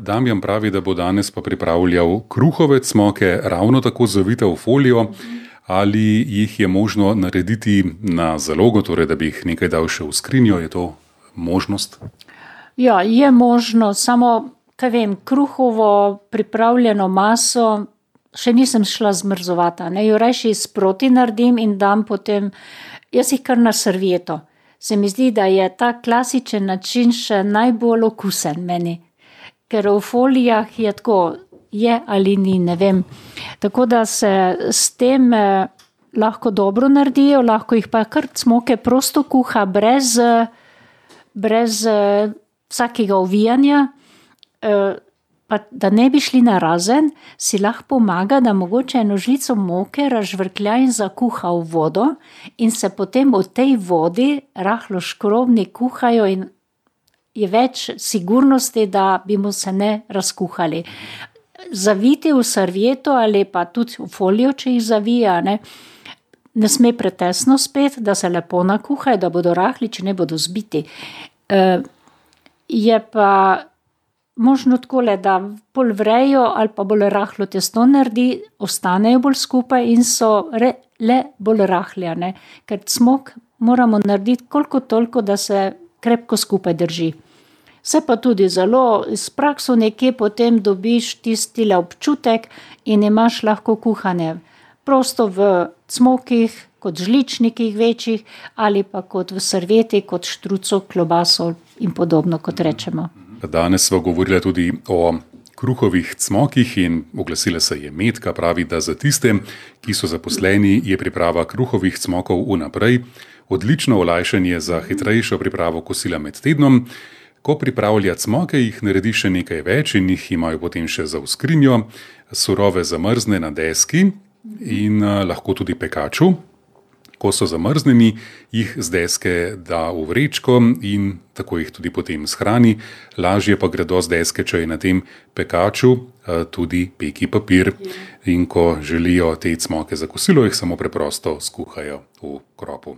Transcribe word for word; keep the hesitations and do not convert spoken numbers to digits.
Damjan pravi, da bo danes pa pripravljal kruhove cmoke, ravno tako zavite v folijo. Ali jih je možno narediti na zalogo, torej da bi jih nekaj dal še v skrinjo, je to možnost? Ja, je možno, samo, kaj vem, kruhovo pripravljeno maso še nisem šla zmrzovati, ne, jo rajši sproti naredim in dam potem, jaz jih kar na servieto. Se mi zdi, da je ta klasičen način še najbolj okusen meni. Ker v folijah je tako, je ali ni, ne vem. Tako da se s tem eh, lahko dobro naredijo, lahko jih pa kar cmoke prosto kuha, brez, brez eh, vsakega ovijanja, eh, pa da ne bi šli narazen, si lahko pomaga, da mogoče eno žlico moke razžvrklja in zakuha v vodo in se potem v tej vodi rahlo škrobni kuhajo in je več sigurnosti, da bi mu se ne razkuhali. Zaviti v servieto ali pa tudi v folijo, če jih zavija, ne, ne sme pretesno spet, da se lepo nakuhajo, da bodo rahli, če ne bodo zbiti. E, je pa možno takole, da pol vrejo ali pa bolj rahlo testo naredi, ostanejo bolj skupaj in so re, le bolj rahli, ne. Ker cmok moramo narediti koliko toliko, da se krepko skupaj drži. Se pa tudi zelo s prakso nekje potem dobiš tistile občutek in imaš lahko kuhane prosto v cmokih, kot žličnikih večjih ali pa kot v servieti, kot štruco, klobaso in podobno, kot rečemo. Danes sva govorila tudi o kruhovih cmokih in oglasila se je Metka, pravi, da za tiste, ki so zaposleni, je priprava kruhovih cmokov vnaprej odlično olajšanje za hitrejšo pripravo kosila med tednom. Ko pripravlja cmoke, jih naredi še nekaj več in jih imajo potem še za v skrinjo, surove zamrzne na deski in uh, lahko tudi pekaču. Ko so zamrznjeni, jih z deske da v vrečko in tako jih tudi potem shrani. Lažje pa gredo z deske, če je na tem pekaču uh, tudi peki papir. In ko želijo te cmoke za kosilo, jih samo preprosto skuhajo v kropu.